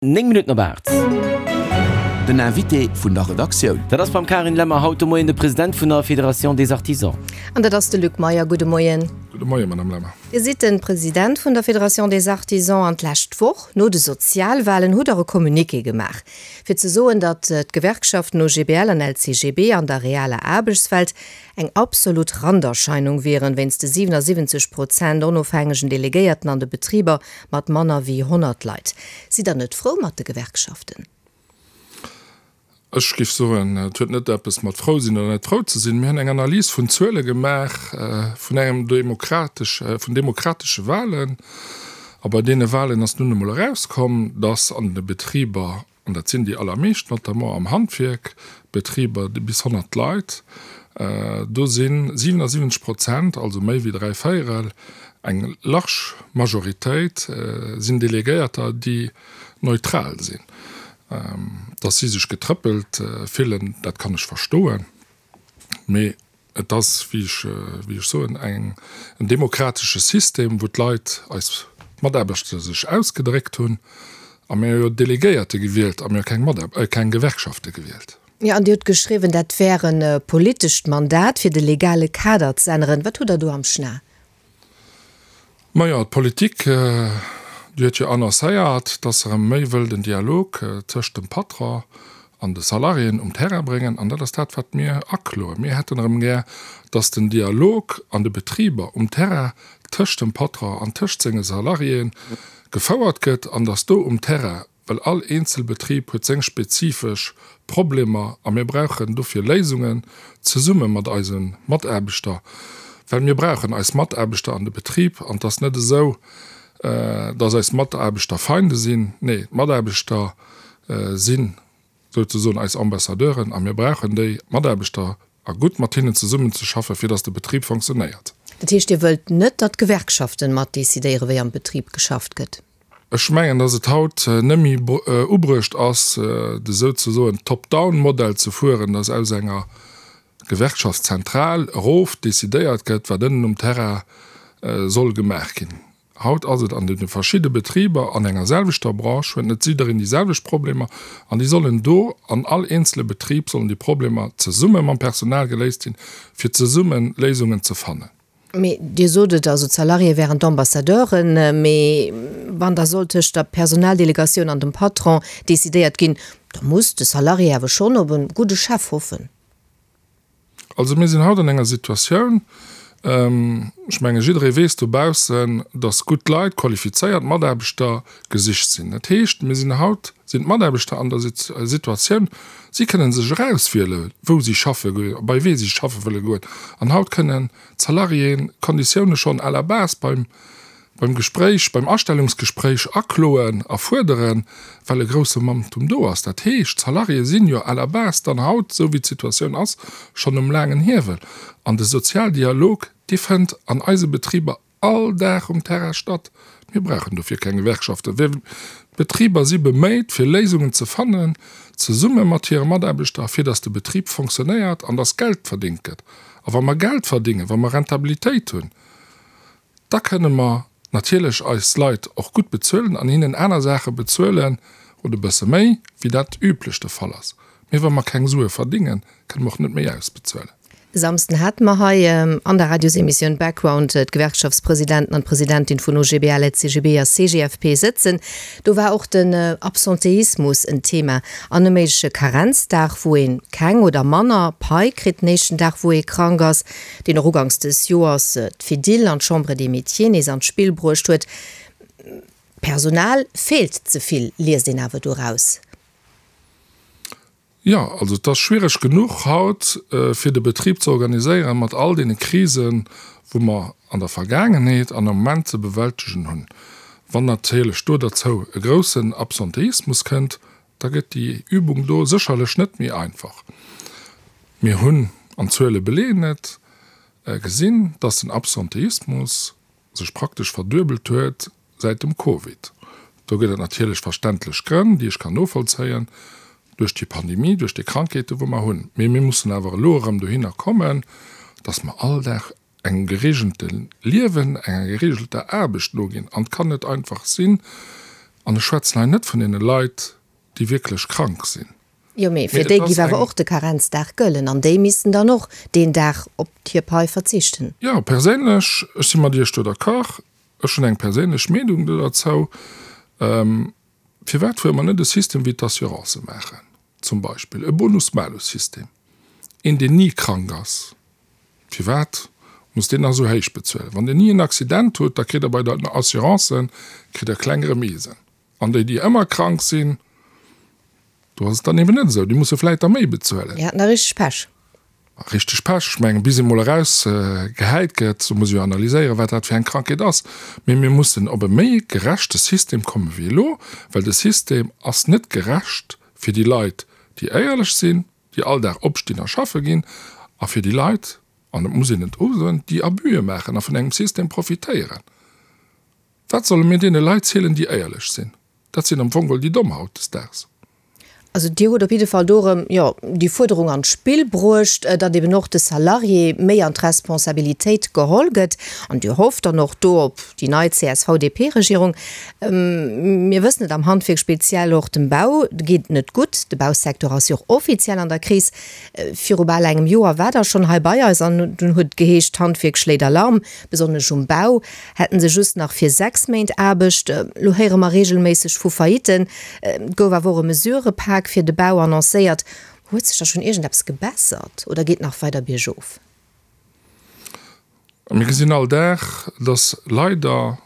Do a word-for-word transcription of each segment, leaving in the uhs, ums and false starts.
Néng Minutten op aacht. Den Invité vun der Redaktioun. Dat ass beim Karin Lemmer haut de Moien de President vun der Fédération des Artisans. An dat ass de Luc Meyer. Gudde Moien. Gudde Moien, Madame Lemmer. Dir sidd de President vun der Fédération des Artisans an d'lescht Woch, no de Sozialwahlen, hutt Der e Communiqué gemaach, fir ze soen, datt d'Gewerkschaften O G B L an L C G B an der realer Aarbechtswelt eng absolut Randerscheinung wieren, wéinst de siwenasiwwenzeg Prozent onofhängegen Delegéierten an de Betriber mat manner wéi honnert Leit. Sidd Der net frou mat de Gewerkschaften? Ech géif soen, et huet net eppes mat frou sinn oder net frou ze sinn. Mir hunn eng Analys vun Zuele gemaach vun engem demokratesch, vun demokratesche Wahlen. A bei deene Wahlen ass nun emol erauskomm, dass an de Betriber, an dat sinn déi allermeescht, notamment am Handwierk, Betriber bis honnert Leit, do si siwenasiwwenzeg Prozent, also méi wéi dräi Véierel, eng large Majoritéit, sinn Delegéierter, déi neutral sinn. Dass si sech getrëppelt fillen, dat kann ech verstoen, mee et ass, wéi ech, wéi ech soen, eng, en demokratesche System, wou d'Leit, eis Mataarbechter sech ausgedréckt hunn, a mir hu jo Delegéierte gewielt a mir hu keng Mataar, keng Gewerkschafte gewielt. Jo, an Dir hutt geschriwwen, dat wär e politescht Mandat, fir de legale Kader z'änneren. Wat hutt Der do am Schna? Majo, d'Politik, déi huet jo annoncéiert, dass se erëm méi wëll den Dialog tëscht dem Patron an de Salariéen um Terrain bréngen. An dat ass dat, wat mir akloen. Mir hätten erëm gär, dass den Dialog an de Betriber um Terrain tëscht dem Patron an tëscht senge Salariéen gefouert gëtt an dass do um Terrain, well all eenzel Betrib huet seng spezifesch Problemer a mir brauchen dofir Léisungen zesumme mat eise Mataarbechter, well mir brauchen eis Mataarbechter an de Betrib an et ass net esou, dass eis Mataarbechter Feinde sinn. Nee, d'Mataarbechter si souzesoen eis Ambassadeuren a mir brauchen déi Mataarbechter a gutt mat hinnen zesummenzeschaffen, fir dass de Betrib fonctionnéiert. Dat heescht, Dir wëllt net, datt d'Gewerkschaften mat decidéieren, wéi am Betrib geschafft gëtt? Ech mengen, dass et haut net méi ubruecht ass, de souzesoen Top-down-Modell ze fueren, dass aus enger Gewerkschaftszentral erof decidéiert gëtt, wat ënnen um Terrain soll gemaach ginn. Haut ass et an deene verschidde Betriber an enger selwechter Branche, huet net jiddereen déi selwecht Problemer an déi sollen do an all eenzele Betrib sollen déi Problemer zesumme mam Personal geléist ginn, fir zesumme Léisungen ze fannen. Mee Dir sot et, also d'Salariéë wären d'Ambassadeuren, mee wann da soll tëscht der Personaldelegatioun an dem Patron decidéiert ginn, da muss de Salarié awer schonn op e gudde Chef hoffen. Also mir sinn haut an enger Situatioun, ech menge jidderee weess dobaussen, datt gutt Leit, qualifizéiert Mataarbechter gesicht sinn. Dat heescht, mir sinn haut, sinn d'Mataarbechter an der Situatioun, si kënnen sech erauswiele wou si schaffe goen, bei wee si schaffe wëlle goen. An haut kënnen d'Salariéen d'Konditioune schonn à la base beim beim Gespréich, beim Astellungsgespréich akloen a fuerderen, well e grousse Manktum do ass. Dat heescht, d'Salariéë sinn jo à la base dann haut, esou wéi d'Situatioun ass, schonn um laangen Hiewel. An de Sozialdialog, dee fënnt an eise Betriber all Dag um Terrain statt. Mir brauchen dofir keng Gewerkschaften. D'Betriber si beméit, fir Léisungen ze fannen, zesumme mat hire Mataarbechter, fir datt de Betrib fonctionnéiert an datt Geld verdéngt gëtt. A wa mer Geld verdéngen, wa mer Rentabilitéit hunn, da kënne mer natierlech eis Leit och gutt bezuelen an hinnen aner Saache bezuelen oder e bësse méi, wéi dat üblech de Fall ass. Mee wa mer keng Sue verdéngen, kënne mer och net méi ausbezuelen. E Samsden hate mer hei an der Radiosemissioun Background d'Gewerkschaftspresidenten an d'Presidentin vun O G B L, L C G B a C G F P sëtzen. Do war och den Absenteismus en Thema an e méigleche Karenzdag, wou ee keng oder manner Pai kritt den éischten Dag, wou ee krank ass, deen och uganks des Joers d'Fedil an d'Chambre des Métiers nees an d'Spill bruecht huet. Personal feelt ze vill, liest een awer doraus. Jo, also et ass schwiereg genuch haut, fir de Betrib ze organiséieren, mat all deene Krisen, wou mer an der Vergaangenheet an am Moment ze bewältegen hunn. Wann natierlech do derzou e groussen Absenteismus kënnt, da gëtt déi Übung do sécherlech net méi einfach. Mir hunn, an d'Zuele beleeën et, gesinn, dass den Absenteismus sech praktesch verduebelt huet säit dem Covid. Do gëtt et natierlech verständlech Grënn, déi ech kann novollzéien, duerch déi Pandemie, duerch déi Krankheeten, wou mer hunn. Mee mir mussen awer elo erëm dohinner kommen, dass mer all Dag engem geregelte Liewen, enger geregelter Aarbecht noginn. An et kann net einfach sinn, An ech schwätzen hei net vun deene Leit, déi wierklech krank sinn. Jo, mee fir déi géif awer och de Karenzdag gëllen an déi missten dann och deen Dag op hir Pai verzichten. Jo, perséinlech, ech si mat Iech do d'accord. Ech hunn eng perséinlech Meenung do derzou. Firwat fuere mer net e System wéi d'Assurancë maachen, zum Beispill e Bonus-Malus-System? Een, deen ni krank ass, firwat muss deen nach esou héich bezuelen? Wann Dir ni en Accident hutt, da kritt Der bei der Assurance kritt Der kleng Remisen. An déi, déi ëmmer krank sinn, do ass et dann eben net esou, déi musse vläicht da méi bezuelen. Déi haten da richteg Pech. Richteg Pech. Ech mengen, bis ee mol erausgehäit gëtt, do muss ee jo analyséieren, wat dat fir eng Krankheet ass. Mee mir mussen op e méi gerechte System komme wéi elo, well de System ass net gerecht fir déi Leit, déi éierlech sinn, déi all Dag opstinn a schaffe ginn, a fir déi Leit, an et muss een et usoen, déi Abüe maachen a vun engem System profitéieren. Wat solle mir deene Leit zielen, déi éierlech sinn? Dat sinn am Fong geholl déi Domm hautdesdaags. Also Dir hutt op jidde Fall do erëm, jo, déi Fuerderung an d'Spill bruecht, datt eben och de Salarié méi an d'Responsabilitéit geholl gëtt. An Dir hofft dann och do op déi nei CSV-DP-Regierung. Mir wëssen et, am Handwierk, speziell och dem Bau, geet et net gutt. De Bausecteur ass jo och offiziell an der Kris. Viru bal engem Joer war Der schonn hei bei eis an dunn huet et geheescht, d'Handwierk schléit Alarm, besonnesch um Bau hätten se just nach fir sechs Méint Aarbecht. Elo héiere mer reegelméisseg vu Faillitten. Et gouf awer och e Mesurëpak fir de Bau annoncéiert. Huet sech da schonn iergendeppes gebessert oder geet nach weider biergof? Mir gesinn all Dag, dass leider,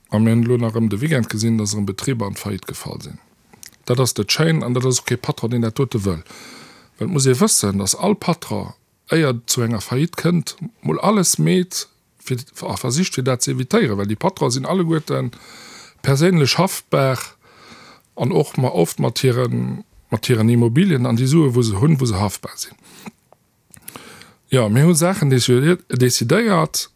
a mir hunn elo nach erëm de Weekend gesinn, dass erëm Betriber an d'Faillite gefall sinn. Dat ass net schéin an dat ass och kee Patron, deen dat dote wëll. Well et muss ee wëssen, dass all Patron, éier et zu enger Faillite kënnt, mol alles meet fir a versicht, fir dat ze evitéieren, well déi Patronen sinn alleguerte perséinlech haftbar an och ma oft mat hiren, mat hiren Immobilien an déi Sue wou se hunn, wou se haftbar sinn. Jo, mir hu Saachen decidéiert.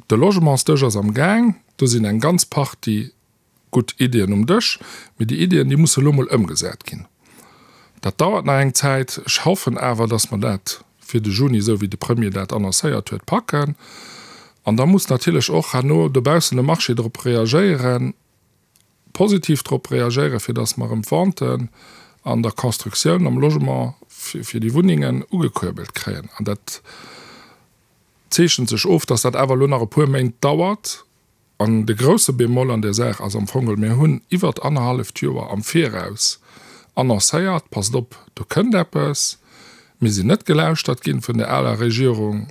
De Logementsdësch ass am Gaang. Do sinn eng ganz Partie gutt Iddien um Dësch, mee déi Iddien, déi musse elo mol ëmgesat ginn. Dat dauert nach eng Zäit. Ech hoffen awer, dass mer dat fir de Juni, esou wéi de Premier dat annoncéiert huet, packen. An da muss natierlech och herno dobaussen de Marché drop reagéieren, positiv drop reagéieren, fir dass mer erëm d'Venten an der Constructioun, am Logement fir déi Wunnengen ugekuerbelt kréien. An dat zeechent sech of, dass dat awer elo nach e puer Méint dauert. An de grouse Bémol an där Saach ass am Fong, mir hunn iwwert annerhalleft Joer am Viraus annoncéiert, Passt op, do kënnt eppes. Mir sinn net gelauschtert ginn vun der aler Regierung.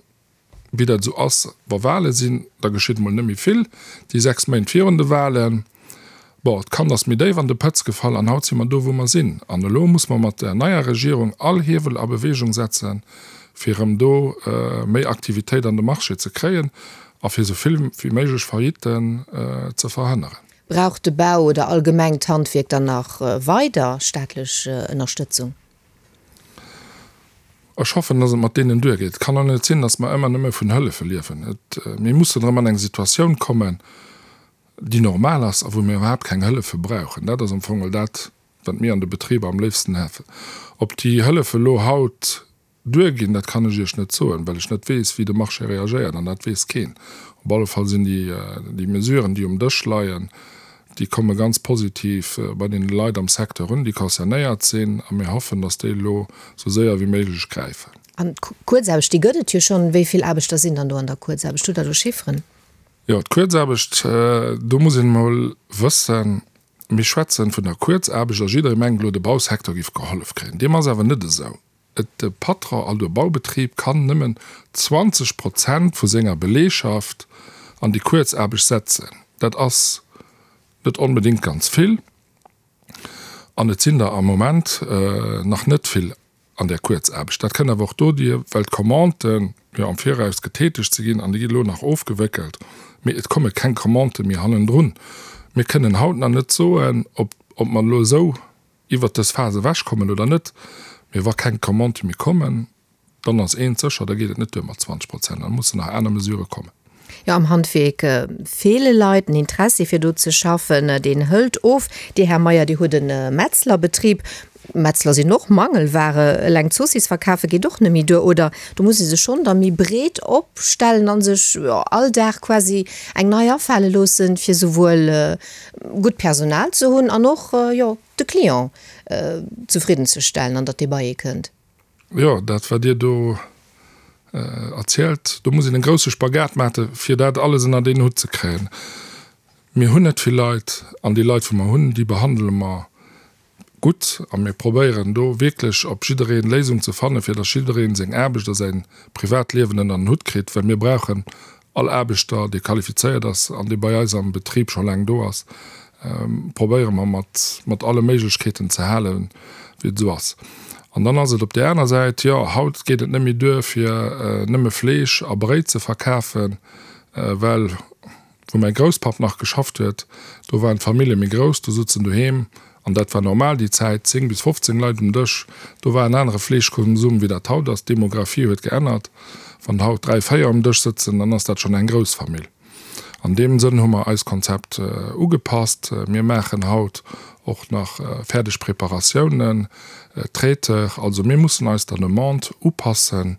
Wéi dat esou ass, wa Wahle sinn, da geschitt emol net méi vill déi sechs Méint virun de Wahlen. Bon, d'Kand ass méi déif an de Pëtz gefall an haut si mer do, wou mer sinn. An elo muss mer mat der neier Regierung all Hiewel a Bewegung setzen, fir erëm do méi Aktivitéit an de Marché ze kréien a fir esou vill wéi méiglech Faillitten ze verhënneren. Brauch de Bau oder allgemeng d'Handwierk dann nach weider staatlech Ënnerstëtzung? Ech hoffen, dass et mat deenen duergeet. Et kann och net sinn, dass mer ëmmer nëmme vun Hëllefe liewen. Et, mir mussen erëm an eng Situatioun kommen, déi normal ass a wou mir iwwerhaapt keng Hëllefe brauchen. Dat ass am Fong geholl dat, wat mir an de Betriber am léifsten hätten. Ob déi Hëllefe elo haut duerginn, dat kann ech Iech net soen, well ech net weess, wéi de Marché reagéiert, an dat weess keen. Op alle Fall sinn déi, déi Mesuren, déi um Dësch leien, déi komme ganz positiv bei deene Leit am Secteur un, déi concernéiert sinn, a mir hoffen, dass déi elo esou séier wéi méiglech gräifen. An d'Kuerzaarbecht, déi gëtt et jo schonn. Wéi vill Aarbechter sinn dann do an der Kuerzaarbecht? Hutt Der do Chifferen? Jo, d'Kuerzaarbecht, do muss een emol wëssen, mir schwätzen vun der Kuerzaarbecht a jidderee mengt elo, de Bausecteur géif gehollef kréien. Deem ass awer net esou. Et, de Patron, also de Baubetrib kann nëmmen zwanzeg Prozent vu senger Beleegschaft an déi Kuerzaarbecht setzen. Dat ass net onbedéngt ganz vill an et sinn der am Moment nach net vill an där Kuerzaarbecht. Dat kënnt awer och dodier, well d'Commanden jo am Viraus getätegt si ginn an déi ginn elo nach ofgewéckelt, mee et komme keng Commandë méi hannendrun. Mir kënnen haut nach net soen, ob mer elo esou iwwert dës Phas ewechkommen oder net, mee wa keng Commandë méi kommen, dann ass eent sécher, da geet et net duer mat zwanzeg Prozent, da mussen nach aner Mesurë kommen. Jo, am Handwierk feele Leit, den Interessi fir do ze schaffen, deen hëlt of. Dir, Här Meyer, Dir hutt e Metzlerbetrib. Metzler sinn och Mangelware. Eleng d'Zoossiss verkafe geet och net méi duer, oder? Do muss ee sech schonn da méi breet opstellen a sech, jo, all Dag quasi eng nei afale loossen, fir souwuel gutt Personal ze hunn an och, jo, de Client zefridden ze stellen an datt dee bei ee kënnt. Jo, dat wat Dir do erzielt, do muss een en grousse Spagat maachen, fir dat alles ënnert een Hutt ze kréien. Mir hunn net vill Leit an déi Leit, wou mer hunn, déi behandele mer gutt a mir probéieren do wierklech op jiddereen Léisung ze fannen, fir datt jiddereen seng Aarbecht a säin Privatliewen ënnert en Hutt kritt, well mir brauchen all Aarbechter, dee qualifizéiert ass an dee bei eis am Betrib scho laang do ass, probéiere mer mat, mat alle Méiglechkeeten ze halen, wéi et esou ass. An dann ass et op där aner Säit, jo, haut geet et net méi duer, fir nëmme Fleesch a Bréit ze verkafen, well wou mäi Grousspapp nach geschafft huet, do waren d'Famillje méi grouss, do souzen doheem, an dat war normal déi Zäit, zéng bis fofzéng Leit um Dësch. Do war en anere Fleeschkonsum, wéi dat haut ass. D'Demographie huet geännert. Wann haut dräi, véier um Dësch sëtzen, dann ass dat schonn eng grouss Famill. An deem Sënn hu mer eist Konzept ugepasst. Mir maachen haut och nach fäerdeg Preparatiounen, Traiteur. Also mir mussen eis der Demande upassen,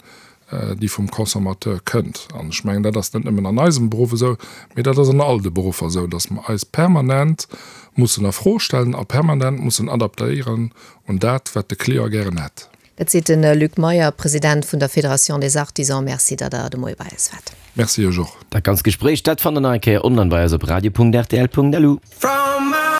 déi vum Consommateur kënnt. An ech mengen, dat ass net nëmmen an eisem Beruff esou, mee dat ass an all de Beruffer esou, dass mer eis permanent mussen a Fro stellen a permanent mussen adaptéieren un dat, wat de Client gären hätt. Dat seet de Luc Meyer, President vun der Fédération des Artisans. Merci, datt Der de Moie bei eis waart. Merci Iech och. Dat ganzt Gespréich, dat fannt der nach eng Kéier online bei eis op radio punkt rtl punkt lu. From